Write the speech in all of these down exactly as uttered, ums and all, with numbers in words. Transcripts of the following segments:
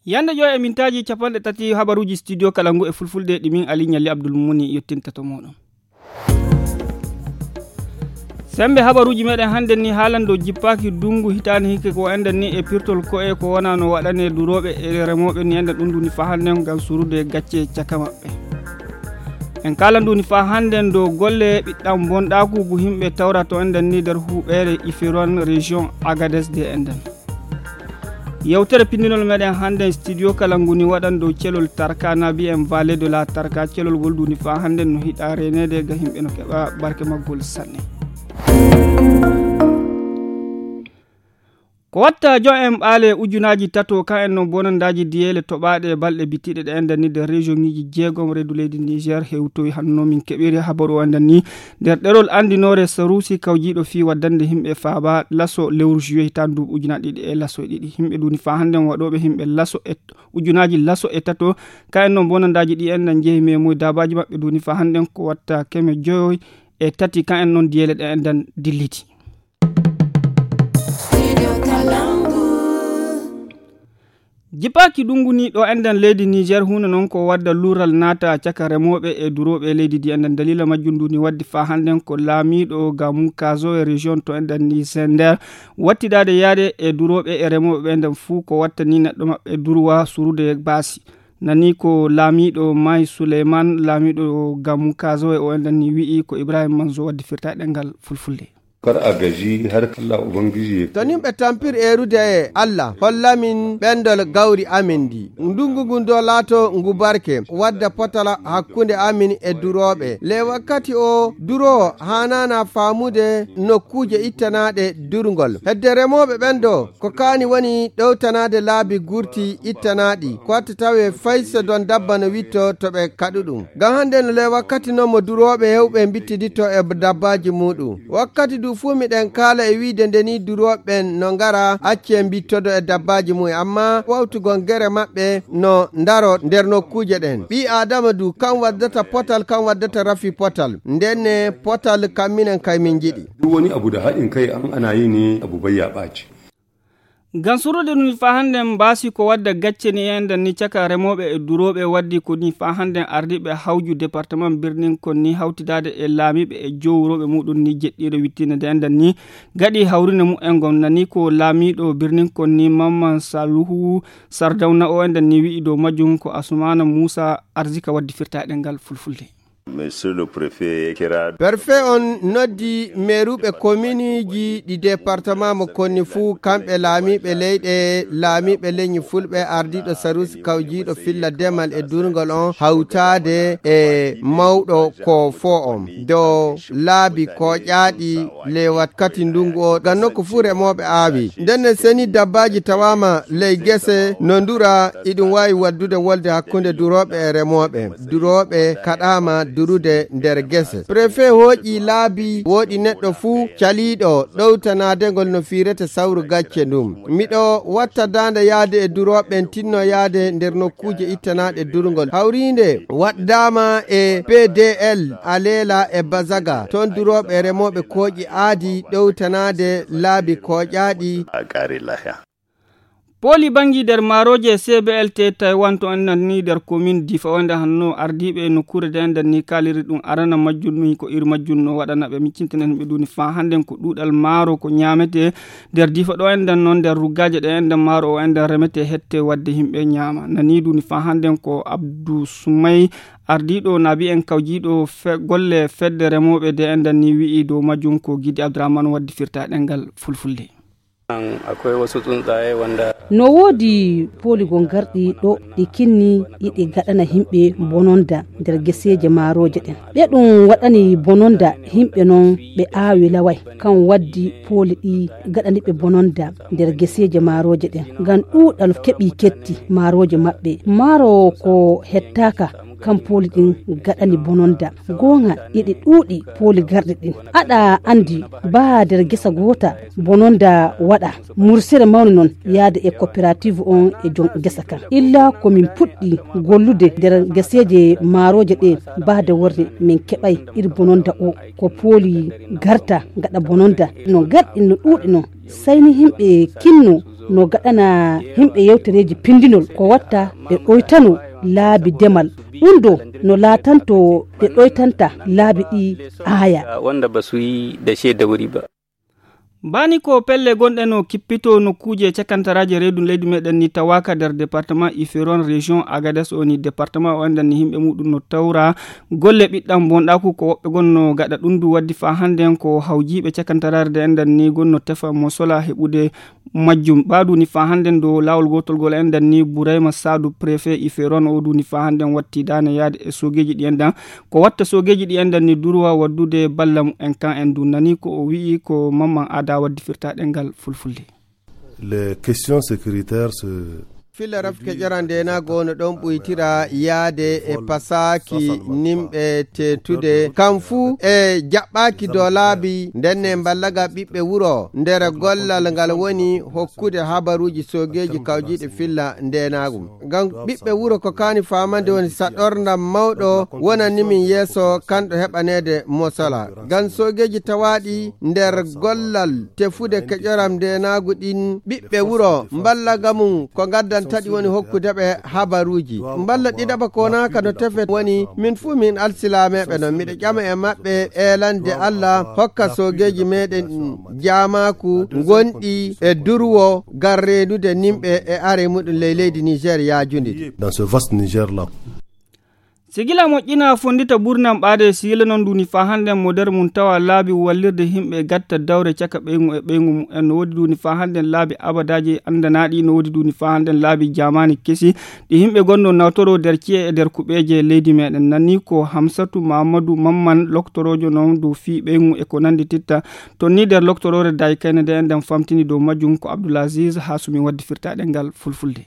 Yande ƴoo e mintaaji capanɗe tati habaruuji studio kala ngu e fulfulde ɗi min Ali Ɲalli Abdul Muni yottinta to mooɗon. Sembe habaruuji meɗen hannden ni haalan dow jippaaki dungu hitaande hikka ko enɗen ni e pirtol ko'e ko wona no waɗane durooɓe e remooɓe ni enɗen ɗum duni faa hannden ngam surude gacce caka maɓɓe. En kaalan duni faa hannden dow golle ɓiɗɗam bonɗaaku ngu himɓe tawra to enɗen ni nder huɓeere Ifiron région Agadez de enɗen. Yewtere pindinol meɗen hannden studio kala nguni waɗan dow celol Tarka na mbiyen Vallée de la Tarka celol ngol duni faa hannden no hiɗa reeneede ga himɓe no keɓa barke maggol sanne. Ko watta jon en ɓaale ujunaaji tato kan en non bonandaaji diyeele toɓaaɗe e balɗe bitiiɗe ɗe enɗen ni nder région ŋiji jeegom reedu leydi Niger hewtoyi hanno min keɓiri habaru o enɗen ni nder ɗerol anndinoore Sarusi kawjiiɗo fii waddande himɓe faaba laso lewru juillet hitaande duuɓi ujunaaji ɗiɗi e laso e ɗiɗi. Himɓe duni faa hannden waɗooɓe himɓe laso e ujunaaji laso e tato. Kan en non bonandaaji ɗi enɗen jehi memoy daabaaji maɓɓe duni faa hannden ko watta keme joyoy e tati kan en non diyeele ɗe enɗen dilliti. Jipaaki ɗum nguni ɗo enɗen leydi Niger huunde noon ko wadda luural naata caka remooɓe e durooɓe e leydi ndi enɗen. Daliila majjum ndu ni waddi faa hannden ko laamiiɗo Gamu Kazo e région to enɗen ni Sender wattidaade yaade e durooɓe e remooɓe ɓe nden fuu ko wattani neɗɗo maɓɓe durwa surude baasi. Nani ko laamiiɗo May Suleyman, laamiiɗo Gamu Kazo e o enɗen ni wi'i ko Ibrahim Manzo waddi firta e ɗemngal fulfulde. Kar a gaji har Allah Ubangiji ya To nimɓe tampir eerude e Allah, hollamin ɓendol gawri amin ndi. Ndungu ngun do laato ngu barke, wadda potala hakkunde amin e durooɓe. Le wakkati o duroowo haanaana faamude nokkuuje ittanaaɗe durngol. Hedde remooɓe ɓen do, ko kaani woni ɗowtanaade laabi gurti ittanaaɗi, ko watta tawe fay so don dabba no witto to ɓe kaɗu ɗum. Ngam hannde no le wakkati non mo durooɓe hewɓe mbittiditto e dabbaaji muuɗum. Wakkati du fuu miɗen kaala e wiide nde ni durooɓe ɓen no ngara acce mbittodo e dabbaaji mum, amma wawtugol gere maɓɓe no ndaro nder nokkuuje ɗen. Ɓii Aadama du kan waddata potal, kan waddata rafi potal. Nden ne potal kan minen kay min njiɗi. Duk wani abu da haɗin kai an ana yi ne abu bai ya ɓaci. Ngam surude ɗum faa hannden mbaasi ko wadda gacce ni enɗen ni caka remooɓe e durooɓe waddi ko ni faa hannden ardiiɓe hawju département birnin kon ni hawtidaade e laamiiɓe e jowrooɓe muuɗum ni jeɗɗiire wittiinde nde enɗen ni gaɗi hawrinde mumen ngon nani ko laamiiɗo birnin kon ni Mamman Saluhu Sardawna o enɗen ni wi'i dow majjum ko Asumaana Muusa Arzika waddi firta e ɗemngal fulfulde. Monsieur le préfet kira. Perfe on noddi meeruɓe kominiji ɗi département mo konni fuu kamɓe laamiiɓe leyɗe, laamiiɓe leñi fulɓe, ardiiɗo sarusi kawjiiɗo filla demal e durngol on hawtaade e mawɗo ko fo on dow laabi koƴaaɗi le wakkati ndungu o ngam nokku fuu remooɓe aawi. Ndenne seni dabbaaji tawaama ley gese no ndura, iɗum waawi waddude wolde hakkunde durooɓe e remooɓe. Durooɓe kaɗaama durude nder gese. Prefe hooƴi laabi wooɗi neɗɗo fuu caliiɗo ɗowtanaade ngol no fiirete sawru gacce ndum. Miɗo watta daande yaade e durooɓe ɓen tinno yaade nder nokkuuje ittanaaɗe durngol. Hawriinde waɗdaama e P D L Aleela e Bazaga. Toon durooɓe e remooɓe kooƴi aadi ɗowtanaade laabi kooƴaaɗi. Pooli banngi nder maarooje C B L T Taiwan to enɗen ni nder komin Difa wonde hanno ardiiɓe nokkuure nde enɗen ni kaaliri ɗum arana majjum ni ko iri majjum no waɗana ɓe miccintinen ɓe ɗuni faa hannden ko ɗuuɗal maaro ko ñaametee nder Difa ɗo enɗen noon nder ruggaaje ɗe enɗen maaro o enɗen remetee hette wadde yimɓe ñaama. Nani ɗuni faa hannden ko Abdou Soumay ardiiɗo naabi en kawjiiɗo fe-, golle fedde remooɓe nde enɗen ni wi'i dow majjum ko Gidi Abdourahmane waddi firta e ɗemngal fulfulde. Akwai wasu tsuntsaye wanda No woodi pooli goo garɗi ɗo ɗi kinni iɗi gaɗana yimɓe bononda nder geseeje maarooje ɗen. Ɓe ɗum waɗani bononda yimɓe non ɓe aawi laway. Kan waddi pooli ɗi gaɗani ɓe bononda nder geseeje maarooje ɗen. Ngam ɗuuɗal keɓi ketti maarooje maɓɓe. Maaro ko hettaaka kam pooli ɗin gaɗani bononda. Goonga, eɗi ɗuuɗi pooli garɗi ɗin. Aɗa anndi, baa nder gesa goota bononda waɗa. Mursere mawni noon yaade e coopérative on e jom gesa kan. Illa ko min puɗɗi gollude nder geseeje maarooje ɗe, baa nde worre min keɓay ir bononda o. Ko pooli garta gaɗa bononda. No garɗi no ɗuuɗi noon. Sey ni yimɓe kinno no gaɗana yimɓe yewtereeji pindinol ko watta ɓe ɗoytano laabi demal. Ɗum ɗo no laatanto ɓe ɗoytanta laabi ɗi aaya. Wanda ba su yi da shaida wuri ba. Baani ko pelle gonɗe no kippito nokkuuje cakantaraaje reedu leydi meɗen ni tawaaka nder département Iféron, région Agadez o ni département o enɗan ni yimɓe muɗum no tawra golle ɓiɗɗam bonɗaaku ko woɓɓe gonno gaɗa ɗum ndu waddi faa hannden ko hawjiiɓe cakantaraare nde enɗan ni gonno tefa mo sola heɓude majjum. Ɓaa duni faa hannden dow laawol gootol gol enɗan ni Burayma Saadu préfet Iféron o duni faa hannden watti daane yaade e soogeeji ɗi enɗan. Ko watta soogeeji ɗi enɗan ni durwa waddude balla mumen kan en du nani ko o wi'i ko Mamman Ada waddi firta ɗengal fulfulde. Les questions sécuritaires se filla rafke ƴoran ndenaago no ɗon ɓuytira yaade e pasaaki nimɓe teetude. Kam fuu e jaɓɓaaki dow laabi, nden ne mballaga ɓiɓɓe wuro nder gollal ngal woni hokkude habaruuji soogeeji kawjiiɗi filla ndenaagu. Ngam ɓiɓɓe wuro ko kaani faamande woni saɗorndam mawɗo wonani min yeeso kanɗo heɓaneede mosola. Ngam soogeeji tawaaɗi nder gollal tefude keƴoram ndenaagu ɗin ɓiɓɓe wuro mballa ga mum ko ngaddantaɗi woni hokkude ɓe habaruuji. Mballa ɗiɗaɓa konaaka no tefe woni min fuu min alsilaameeɓe non. Miɗo ƴama e maɓɓe eelande Alla hokka soogeeji meɗen jaamaaku ngonɗi e durwo ngam reenude nimɓe e are muɗum ley leydi Niger yaajundi. Dans ce vaste Niger là. Sigila moƴƴina fonndita ɓurnam ɓaade sigila noon duni faa hannden mo nder mum tawa laabi wallirde yimɓe gatta dawre caka ɓeyngu e ɓeyngu mumen. No woodi duni faa hannden laabi abadaaji anndanaaɗi, no woodi duni faa hannden laabi jaamaani kesi ɗi yimɓe gonno nawtoro nder ci'e e nder kuɓeeje leydi meɗen. Nani ko Hamsatu Mamadou Mamman loktoroojo noon dow fii ɓeyngu e ko nanndi titta. Toon ni nder loktoroore daay kayne nde enɗan famtini dow majjum ko Abdoul Aziz Hasumi waddi firtaaɗe ngal fulfulde.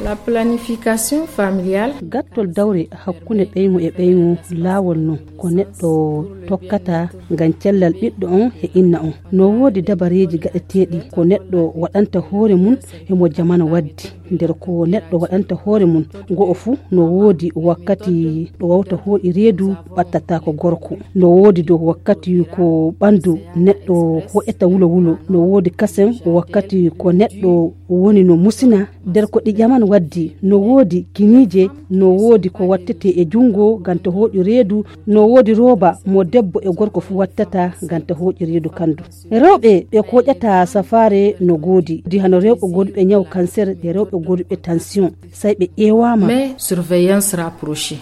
La planification familiale. Gattol dawre hakkunde ɓeyngu e ɓeyngu laawol non ko neɗɗo tokkata ngam cellal ɓiɗɗo on e inna on. No woodi dabareeji gaɗeteeɗi ko neɗɗo waɗanta hoore mum e mo jamanu waddi. Nder ko neɗɗo waɗanta hoore mum, go'o fuu no woodi wakkati ɗo wawta hooƴi reedu ɓattata ko gorko. No woodi dow wakkati ko ɓandu neɗɗo hoƴata wulo wulo. No woodi kasen wakkati ko neɗɗo woni no musina. Nder ko ɗi ƴaman waddi, no woodi kiniije, no woodi ko wattete e junngo ngam ta hooƴu reedu, no woodi rooba mo debbo e gorko fuu wattata ngam ta hooƴu reedu kandu. Rewɓe ɓe kooƴata safaare no goodi, di hano rewɓe gooduɓe ñaw kanser, ɓe rewɓe gooduɓe tension, say ɓe ƴeewaama. Mais surveillance rapprochée.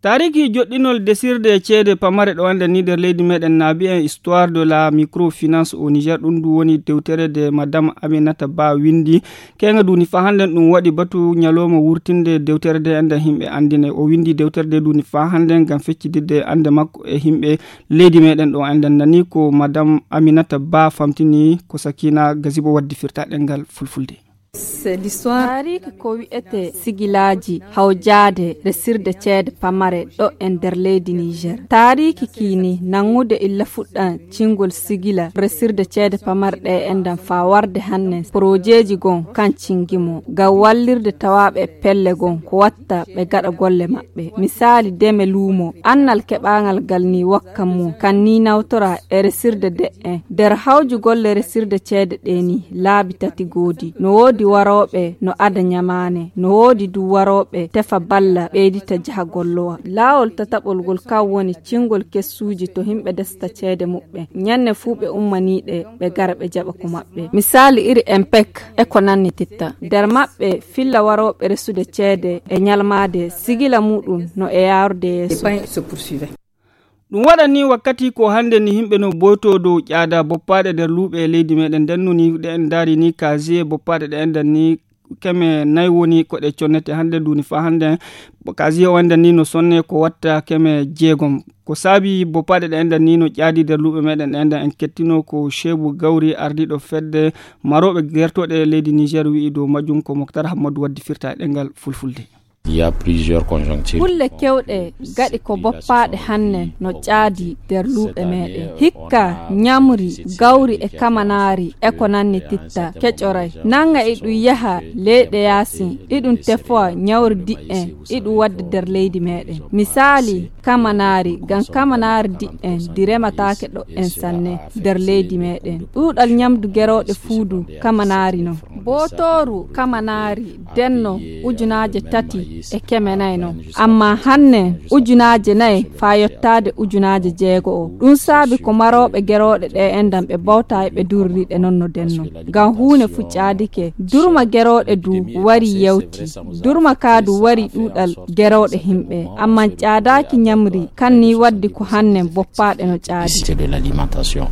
Taariki joɗɗinol desirde ceede pamare ɗo anndan ni nder leydi meɗen naabi en histoire de la microfinance au Niger. Ɗum ndu woni dewtere de madame Aminata Ba windi. Keŋa duni faa hannden ɗum waɗi batu ñalooma wurtinde dewtere de enɗan yimɓe anndine. O windi dewtere de duni faa hannden ngam feccidirde annde makko e yimɓe leydi meɗen ɗo enɗan nani ko madame Aminata Ba famtini ko Sakina Gazibo waddi firta ɗengal fulfulde. Taariki ko wi'ete sigilaaji hawjaade resirde ceede pamare ɗo e nder leydi Niger. Taariki kiini nangude illa fuɗɗan cingol sigila resirde ceede pamare ɗe enɗan faa warde hanne porojeeji gon kan cingimo ngam wallirde tawaaɓe e pelle gon ko watta ɓe gaɗa golle maɓɓe. Misaali deme luumo, annal keɓaangal ngal ni wakkan mum kan ni nawtora e resirde de'en. Nder hawju golle resirde ceede ɗe ni laabi tati goodi. No woodi warooɓe no ada ñamaane, no woodi du warooɓe tefa balla ɓeydita jaha gollowa. Laawol tataɓol ngol kan woni cingol kessuuji to yimɓe desta ceede muɓɓen. Ñanne fuu ɓe ummaniiɗe ɓe gara ɓe jaɓa ko maɓɓe. Misaali iri empek e ko nanni titta. Nder maɓɓe filla warooɓe resude ceede e ñalmaade sigila muɗum no e yaarude yeeso. Ɗum waɗani wakkati ko hannde ni yimɓe no boyto dow ƴaada boppaaɗe nder luuɓe e leydi meɗen nden no ni ɗe en ndaari ni casier boppaaɗe ɗe enɗan ni keme nayi woni ko ɗe connete hannde duni faa hannde. Casier o enɗan ni no sonne ko watta keme jeegom. Ko saabi boppaaɗe ɗe enɗan ni no ƴaadi nder luuɓe meɗen ɗe enɗan en kettino ko Shebu Gawri ardiiɗo fedde marooɓe gertooɗe leydi Niger wi'i dow majjum ko Moktar Hammadu waddi firta e ɗengal fulfulde. Il y a plusieurs conjonctures. Kulle kewɗe gaɗi ko boppaaɗe hanne no caadi nder luuɓe meeɗen. Hikka, ñamri, gawri e kamanaari e ko nanni titta, keƴoray. Nannga iɗum yaha leyɗe yaasin, iɗum tefowa ñawri diƴƴen, iɗum wadda nder leydi meeɗen. Misaali, kamanaari, ngam kamanaari diƴƴen ndi remataake ɗo'en sanne nder leydi meeɗen. Ɗuuɗal ñamdu gerooɗe fuudu kamanaari non. Bootooru kamanaari denno ujunaaje tati e keme nayi non. Amma hanne ujunaaje nayi faa yottaade ujunaaje jeego o. Ɗum saabi ko marooɓe gerooɗe ɗe enɗan ɓe bawta e ɓe durriɗe non no denno. Ngam huune fu caadike. Durma gerooɗe du wari yewti. Durma kaa du wari ɗuuɗal gerooɗe himɓe. Amma caadaaki ñamri kan ni waddi ko hanne boppaaɗe no caadi. C'était de l'alimentation.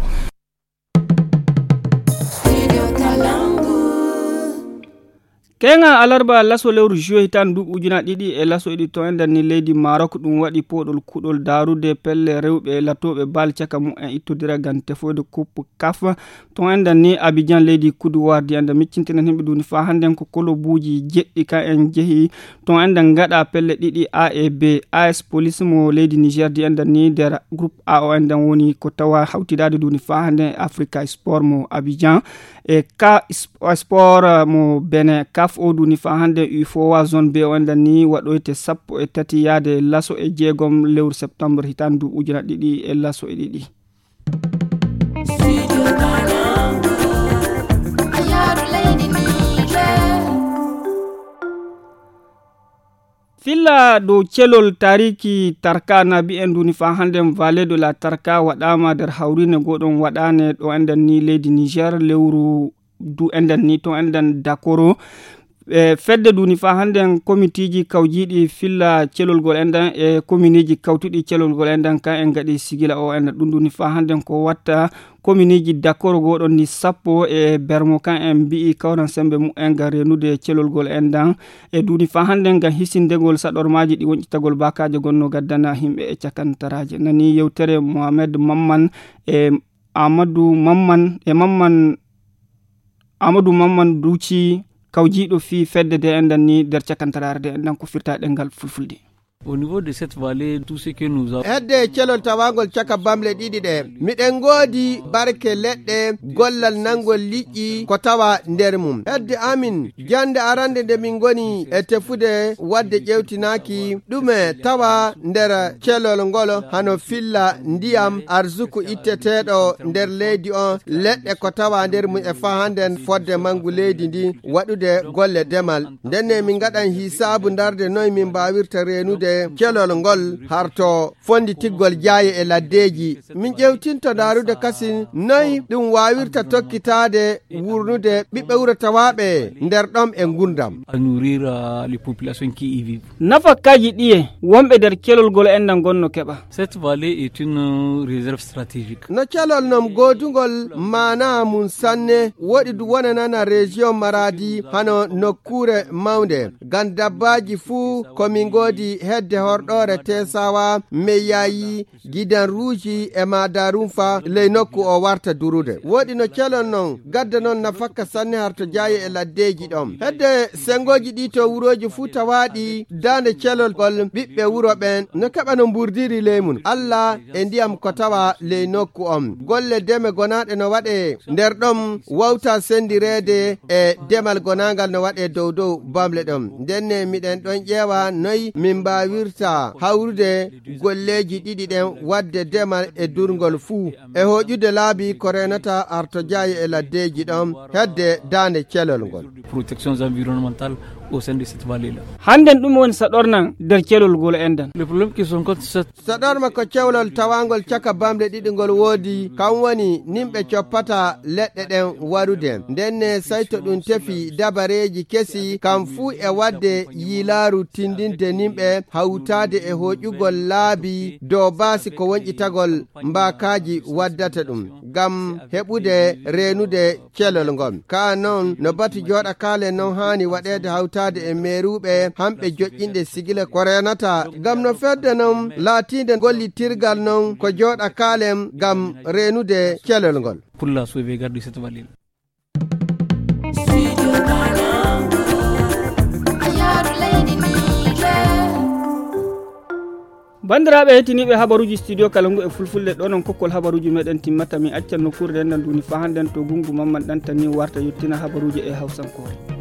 Keŋa alarba laso lewru juillet hitaande duuɓi ujunaaji ɗiɗi e laso ɗiɗi to enɗan ni leydi Maroc ɗum waɗi pooɗol kuɗol daarude pelle rewɓe e latooɓe bal caka mumen ittodira ngam tefoyde coupe kaf. To enɗan ni Abidjan leydi Côte d'Ivoire di enɗan miccintinan himɓe duni faa hannden ko kolobuuji jeɗɗi ka en jehi. To enɗan ngaɗa pelle ɗiɗi A e B, A S Police mo leydi Niger di enɗan ni nder groupe A o enɗan woni ko tawa hawtidaade duni faa hannden e Africa Sport mo Abidjan. E ka sp-, sport mo Benin, kaf o duni faa hannden U F O A zone B o enɗan ni waɗoyte sappo e tati yaade laso e jeegom lewru septembre hitaande duuɓi ujunaaji ɗiɗi e laso e ɗiɗi. Filla dow celol taariki Tarka na mbi'en duni faa hannden Vallée de la Tarka waɗaama nder hawriine gooɗon waɗaane ɗo enɗan ni leydi Niger lewru du enɗan ni to enɗan Dakoro. E fedde duni faa hannden komitiiji kawjiiɗi filla celol gol enɗan e kominiiji kawtuɗi celol gol enɗan kan en ngaɗi sigila o enɗan ɗum duni faa hannden ko watta kominiiji Dakoro gooɗon ni sappo e bermo kan en mbi'i kawran sembe mumen ngam renude celol gol enɗan e duni faa hannden ngam hisindegol saɗormaaji ɗi woncitagol baakaaje gonno gaddana himɓe e cakantaraaje. Nani yewtere Mohamed Mamman e Amadou Mamman e Mamman Amadou Mamman Duuci kawjiiɗo fii fedde de enɗan ni nder cakantaraare de enɗan ko firta ɗengal fulfulde. Au niveau de cette vallée, tout ce que nous avons Hedde celol tawangol caka bamle ɗiɗi ɗe, miɗen ngoodi barke leɗɗe, gollal nangol liƴƴi ko tawa nder mum. Hedde amin, jannde arande nde min ngoni e tefude wadde ƴewtinaaki ɗume tawa nder celol ngol hano filla ndiyam arsuku itteteeɗo nder leydi on, leɗɗe ko tawa nder mum e fahanden fodde mangu leydi ndi waɗude golle demal. Ndenne min ngaɗan hisaabu ndarde noy min mbaawirta reenude celol ngol harto fonditigol jaaye e laddeeji. Min ƴewtinta ndaarude kasin noy ɗum waawirta tokkitaade wurnude ɓiɓɓe wuro tawaaɓe nder ɗom e ngurdam. À nourrir, euh, les populations qui y vivent. Nafakaaji ɗiye wonɓe nder celol ngol enɗan gonno keɓa? Cette vallée est une, euh, réserve stratégique. No celol non goodungol maanaa mum sanne, woɗi du wonanana région Maradi hano nokkuure mawnde. Ngam dabbaaji fuu ko min ngoodi hedde horɗoore Tesawa, Meyayi, Gidan Ruuji e Madarunfa ley nokku o warta durude. Woɗi no celol non gadda non nafakka sanne harto jaaye e laddeeji ɗon. Hedde sengooji ɗi to wurooji fuu tawaaɗi daande celol ngol ɓiɓɓe wuro ɓen no keɓa no mburdiri ley mum. Alla e ndiyam ko tawa ley nokku on. Golle deme gonaaɗe no waɗee nder ɗon wawta sendireede e demal gonaangal no waɗee dow dow bamle ɗon. Ndenne miɗen ɗon ƴeewa noy min mbaawirta hawrude golleeji ɗiɗi ɗen wadde demal e durngol fuu. E hooƴude laabi ko reenata artojaayi e laddeeji ɗon hedde daande celol ngol. Protection environnementale au sein de cette vallée-là. Hannden ɗum woni saɗornan nder celol ngol enɗan. Le problème qui se rencontre, c'est Saɗorma ko cewlol tawangol caka bamɗe ɗiɗi ngol woodi, kam woni nimɓe coppata leɗɗe ɗen warude. Ndenne sayto ɗum tefi dabareeji kesi, kam fuu e waɗde yiilaaru tindinde nimɓe hawtaade e hooƴugol laabi dow baasi ko wonƴitagol mbaakaaji waddata ɗum, ngam heɓude reenude celol ngol. Kaa non, no batu jooɗa kaalen non haani waɗeede hawtaade e meeruuɓe, hamɓe joƴƴinɗe sigile ko reenata, ngam no fedde non laatiinde gollitirgal non ko jooɗa kaalen ngam reenude celol ngol. Pour la sauvegarde de cette vallée. Banndiraaɓe heɗtiniiɓe habaruuji studio kala ngu e fulfulde, ɗo noon kokkol habaruuji meɗen timmata. Min accan nokkuure ndendan duuni faa hannden to Gunngu Mamman Ɗantani warta yottina habaruuji e hawsankoore.